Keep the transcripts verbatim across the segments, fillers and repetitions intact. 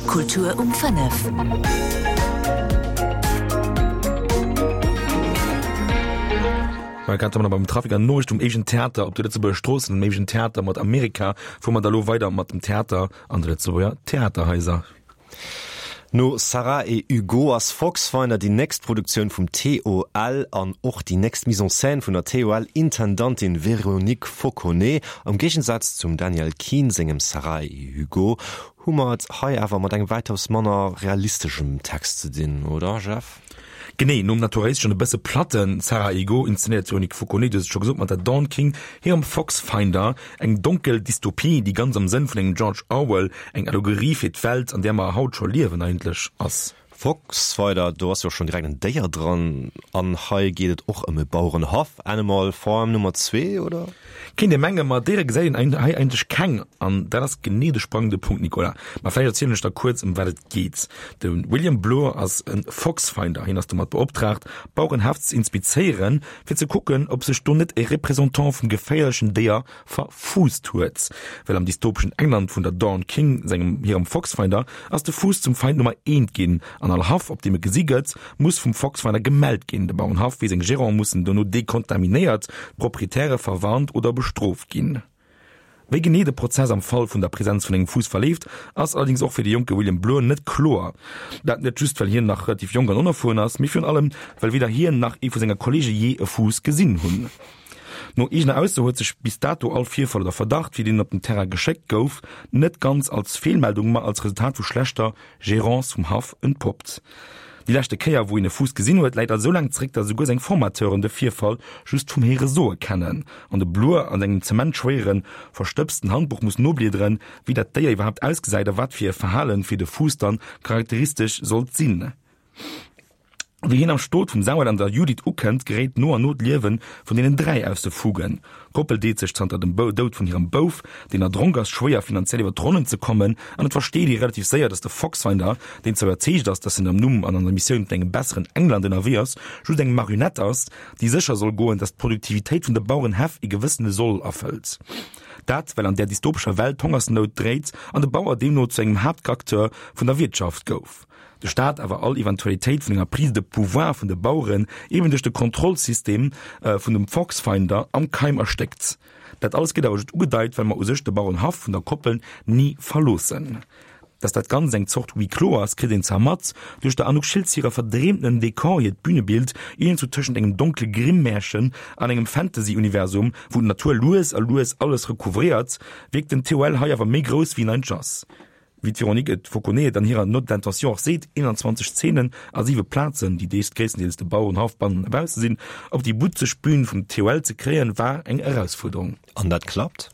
Kultur um fënnef. Mä grad wa mer beim Trafic an Noriicht um éischten Theater op de Lëtzebuerger Stroossen, um éischten Theater mat Amerika, fuere mer da lo weider mat dem Theater an de Lëtzebuerger Theaterhaiser. No Sarah et Hugo ass Foxfinder déi nächst Produktioun vum TOL an och déi nächst Mise en scène vun der TOL-Intendantin Véronique Fauconnet. Am Géigensaz zum Daniel Keene sengem Sarah et Hugo hu mer et hei awer mat engem wäitaus manner realisteschem Text ze dinn, oder Jeff? Genee, nom naturalisteschen, e bësse platten Sarah et Hugo inszenéiert d'Véronique Fauconnet, du hues et scho gesot, mat der Dawn King hirem Foxfinder, eng donkel Dystopie, déi ganz am Sënn vun engem George Orwell eng Allegorie fir d'Welt, an där mer haut scho liewen, eigentlech ass. Foxfinder, do ass jo schonn direkt en Déier dran, an hei geet et och ëm e Bauerenhaff, Animal Farm Nummer zwee, oder? Kéint ee mengen, ma Déiere gesäit een hei eigentlech keng, an dat ass genee de sprangende Punkt, Nicolas. Ma vläicht erzielen ech der kuerz, ëm wat et geet. De William Bloor ass e Foxfinder, hien ass domat beoptraagt, Bauerenhäff ze inspizéieren, fir ze kucken, ob sech do net e Représentant vum geféierlechen Déier verfuusst huet. Well am dystopeschen England vun der Dawn King sengem hirem Foxfinder ass de Fuuss zum Feind Nummer eent ginn an all Haff, op deem e gesi gëtt, muss vum Foxfinder gemellt ginn. De Bauerenhaff wéi seng Gérant mussen dono dekontaminéiert, d'Proprietäre verwarnt oder bestrooft ginn. Wéi genee de Prozess am Fall vun der Presenz vun engem Fuuss verleeft, ass allerdéngs och fir de jonke William Bloor net kloer. Dat net just, well hien nach relativ jonk an onerfueren ass, mee virun allem, well weder hien nach ee vu senger Kolleege jee e Fuuss gesinn hunn. No eegener Ausso huet sech bis dato all Virfall oder Verdacht, fir deen en op den Terrain geschéckt gouf, net ganz als Feelmeldung, ma als Resultat vu schlechter Gerance vum Haff entpoppt. Déi leschte Kéier, wou een e Fuuss gesinn huet, läit also esou laang zeréck, datt esouguer seng Formateuren de Virfall just vum Héiere soe kennen an de Blur an engem zementschwéieren, verstëbsten Handbuch muss nobliederen, wéi dat Déier iwwerhaapt ausgesäit a wat fir e Verhalen fir de Fuuss dann charakteristesch sollt sinn. Wéi hien am Stot vum Samuel an der Judith ukënnt, geréit no an no d'Liewe vun deenen dräi aus de Fugen. D'Koppel deet sech zanter dem Doud vun hirem Bouf, deen erdronk ass, schwéier finanziell iwwer d'Ronnen ze kommen an et versteet ee relativ séier, datt de Foxfinder, deen zwar iwwerzeegt ass, datt en am Numm an an der Missioun vun engem besseren England ënnerwee ass, just eng Marionett ass, déi sécher soll goen, datt d'Produktivitéit vun de Bauerenhäff e gewëssene Soll erfëllt. Dat, well an där dystopescher Welt d'Hongersnout dréit an de Bauer deemno zu engem Haaptacteur vun der Wiertschaft gouf. De Staat awer all Eventualitéit vun enger Prise de pouvoir vun de Baueren eben duerch de Kontrollsystem vun dem Foxfinder am Keim erstéckt. Dat alles gëtt awer just ugedeit, well mer u sech de Bauerenhaff vun der Koppel ni verloossen. Dass dat Ganzt eng Zort Huis clos ass, kritt een zwar mat duerch der Anouk Schiltz hirer verdreemtenen Dekor, hiert Bünebild, iergendwou tëschent engem donkle Grimm-Märchen an engem Fantasy-Universum, wou d'Natur lues a lues alles recouvréiert, wierkt den TOL hei awer méi grouss wéi en eigentlech ass. Wéi d'Véronique et Fauconnet et an hirer Note d'intention och seet, eenanzwanzeg Zeenen a siwe Plazen, déi deels gréisstendeels de Bauerenhaff bannen a bausse sinn, op déi butzeg Bühn vum TOL ze kréien, war eng Erausfuerderung. An dat klappt?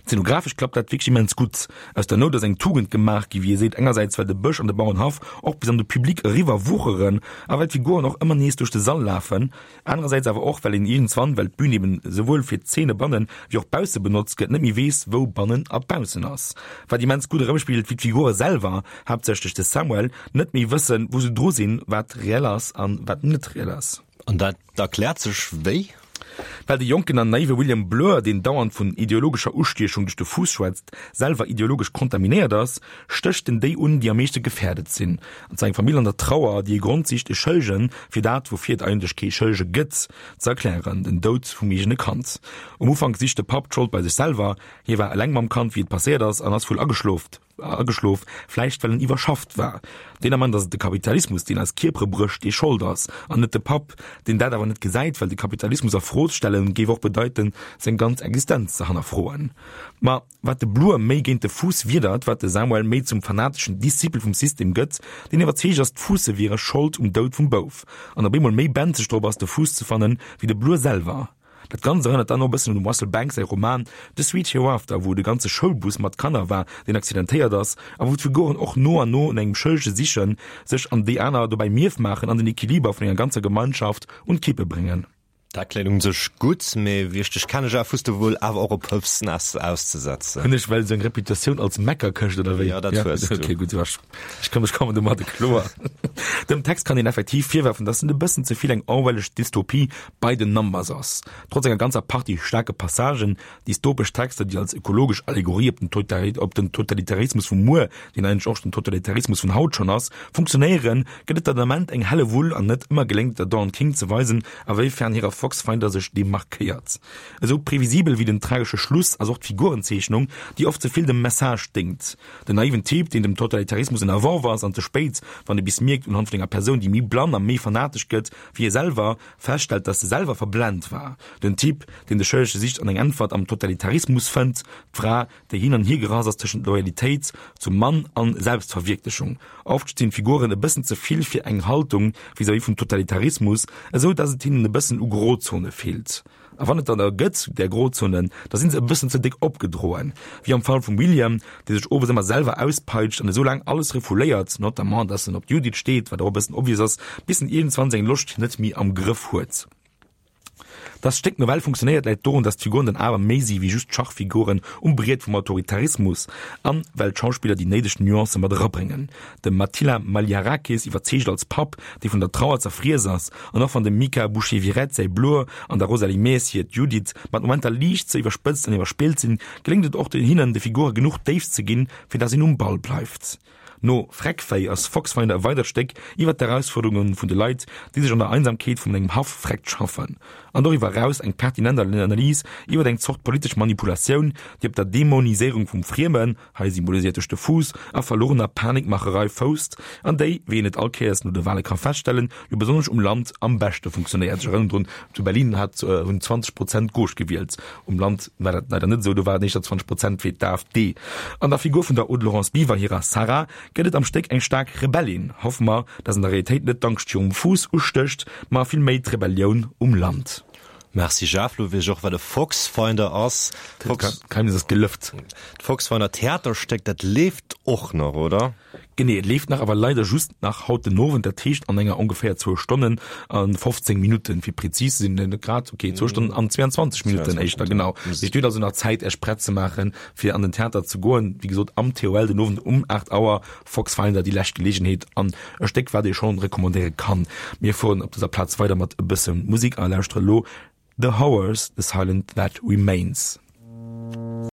Zeenografesch klappt dat wierklech immens gutt. Aus der Nout ass eng Tugend gemaach gi, wéi ee seet, engersäits well de Bësch an de Bauerenhaff och bis an de Public eriwwer wucheren a well d'Figuren och ëmmer nees duerch de Sall lafen, anerersäits awer och well een iergendswann, well d'Bühn eben esouwuel fir d'Zeene bannen wéi och bausse benotzt gëtt, net méi weess, wou bannen a baussen ass. Wat immens gutt erëmspigelt, wéi d'Figure selwer, haaptsächlech de Samuel, net méi wëssen, wou se dru sinn, wat reell ass an wat net reell ass. An dat erkläert sech wéi? Well de jonken an naive William Blur, deen dauernd vun ideologescher Ustiechung duerch de Fuuss schwätzt, selwer ideologesch kontaminéiert ass, stécht en déi un, déi am meeschte gefährdet sinn, an zwar eng Famill an der Trauer, déi e Grond sicht, e Schëllegen fir dat, woufir et eigentlech kee Schëllege gëtt, ze erklären, den Doud vum eegene Kand. Um Ufank sicht de Papp d'Schold bei sech selwer, hie war eleng mam Kand, wéi et passéiert ass, an ass wuel ageschlof, ageschlof, vläicht well en iwwerschafft war. Deen Ament ass et de Kapitalismus, deen eis Kierpere brécht, dee Schold ass, an net de Papp, deen dat awer net gesäit, well de Kapitalismus a Fro stellen géif och bedeiten, seng ganz Existenz ze hannerfroen. Ma wat de Blur méi géint de Fuuss widert, wat de Samuel méi zum fanateschen Discipel vum System gëtt, deen iwwerzeegt ass, d'Fuusse wiere Schold um Doud vum Bouf, an op eemol méi benzeg drop ass, de Fuuss ze fannen, wéi de Blur selwer. Dat Ganzt erënnert dann och e bëssen un dem Russell Banks säi Roman The Sweet Hereafter, wou et e ganze Schoulbus mat Kanner war, deen accidentéiert ass, a wou d'Figuren och no an no no engem Schëllege sichen, sech an déi aner dobäi mierf maachen an den Equiliber vun enger ganzer Gemeinschaft un d'Kippe bréngen. Dat kléngt un sech gutt, mee wéi ech dech kenne Jeff, hues de wuel awer och e Pëfsnest auszesetzen. Hunn ech well esou eng Reputatioun als Meckerkëscht oder wéi? Jo, dat hues du. Okay, gutt, ech ech kommen domadde kloer. Dem Text kann een effektiv virwerfen, dass en e bëssen ze vill eng orwellesch Dystopie by the numbers ass. Trotz enger ganzer Partie staarke Passagen, dystopesch Texter, déi als ökologesch Allegorie op den op den Totalitarismus vu muer, deen eigentlech och den Totalitarismus vun haut schonn ass, funktionéieren, gëtt et der den Ament eng Hellewull an net ëmmer geléngt et der Dawn King ze weisen, a wéi fern hirer Foxfinder sech demarkéiert. Esou previsibel wéi den tragesche Schluss ass och d'Figurenzeechnung, déi oft ze vill dem Message déngt. Den naiven Typ, deen dem Totalitarismus ënnerworf ass an ze spéit, wann e bis mierkt, unhand vun enger Persoun, déi méi blann a méi fanatesch gëtt wéi e selwer, feststellt, dass e selwer verblent war. Den Typ, deen de Schëllege sicht an eng Äntwert am Totalitarismus fënnt. D'Fra, déi hin an hier gerass ass tëschent Loyalitéit zum Mann an Selbstverwierklechung. Oft stinn d'Figuren e bëssen ze vill fir eng Haltung vis-à-vis vum Totalitarismus, esou dass et hinnen e bëssen u Grozone feelt. A wann et der da gëtt, där Grozonen, da sinn se e bëssen ze déck opgedroen, wéi am Fall vum William, dee sech owes ëmmer selwer auspeitscht an esou laang alles refouléiert, notamment dass en op d'Judith steet, wat och e bëssen obvious ass, bis en iergendwann seng Loscht net méi am Grëff huet. Dass d'Stéck nawell funktionéiert, läit dorun, dass d'Figuren dann awer méi si wéi just Schachfiguren um Briet vum Autoritarismus an well d'Schauspiller déi néideg Nuancë mat erabréngen. De Matila Maliarakis iwwerzeegt als Papp, dee vun der Trauer zerfriess ass, an och wann dem Mika Boucher-Viret säi Blur an der Rosalie Maes hiert Judith mat Momenter liicht ze iwwerspëtzt an iwwerspillt sinn, geléngt et och hinnen, de Figure genuch Déift ze ginn, fir dass een um Ball bleift. No Freckvéi ass Foxfinder e weidert Stéck iwwer d'Erausfuerderunge vun de Leit, déi sech an der Einsamkeet vun engem Haff freckt schaffen. An doriwwer eraus eng pertinent Analys iwwer eng Zort politesch Manipulatioun, déi op der Dämoniséierung vum Friemen, hei symboliséiert duerch de Fuuss, a verlorener Panikmacherei fousst, an déi, wéi een et all Kéiers no de Wale ka feststellen, jo besonnesch um Land am beschte funktionéiert. Ech erënneren drun, zu Berlin hat hunn zwanzeg Prozent d'Gauche gewielt, um Land war dat leider net esou, do war et éischter zwanzeg Prozent fir d'AfD. An der Figur vun der Aude-Laurence Biver hirer Sarah gëtt et am Stéck eng staark Rebellin. Hoffe mer, dass an der Realitéit net d'Angscht virum Fuuss ustécht, ma vill méi d'Rebellioun um Land. Merci Jeff, lo weess ech och wat e Foxfinder ass. D'Geheimnis ass gelëft. D'Foxfinder Theaterstéck, dat leeft och nach, oder? Genee, et leeft nach, awer leider just nach haut den Owend, dat heescht an enger ongeféier zwou Stonnen a fofzéng Minutten, fir prezis ze sinn, net grad, okay, zwou Stonnen an zweeanzwanzeg Minutten éischter, genau. Dat heescht, Dir hutt also nach Zäit, Iech prett ze maachen, fir an den Theater ze goen. Wéi gesot, am T O L den Owend um aacht Auer, Foxfinder, déi lescht Geleegenheet an e Stéck, wat ee schonn recommandéiere kann. Mir fueren op dëser Plaz weider mat e bësse Musek a lauschtere lo The Horrors, The Silence That Remains.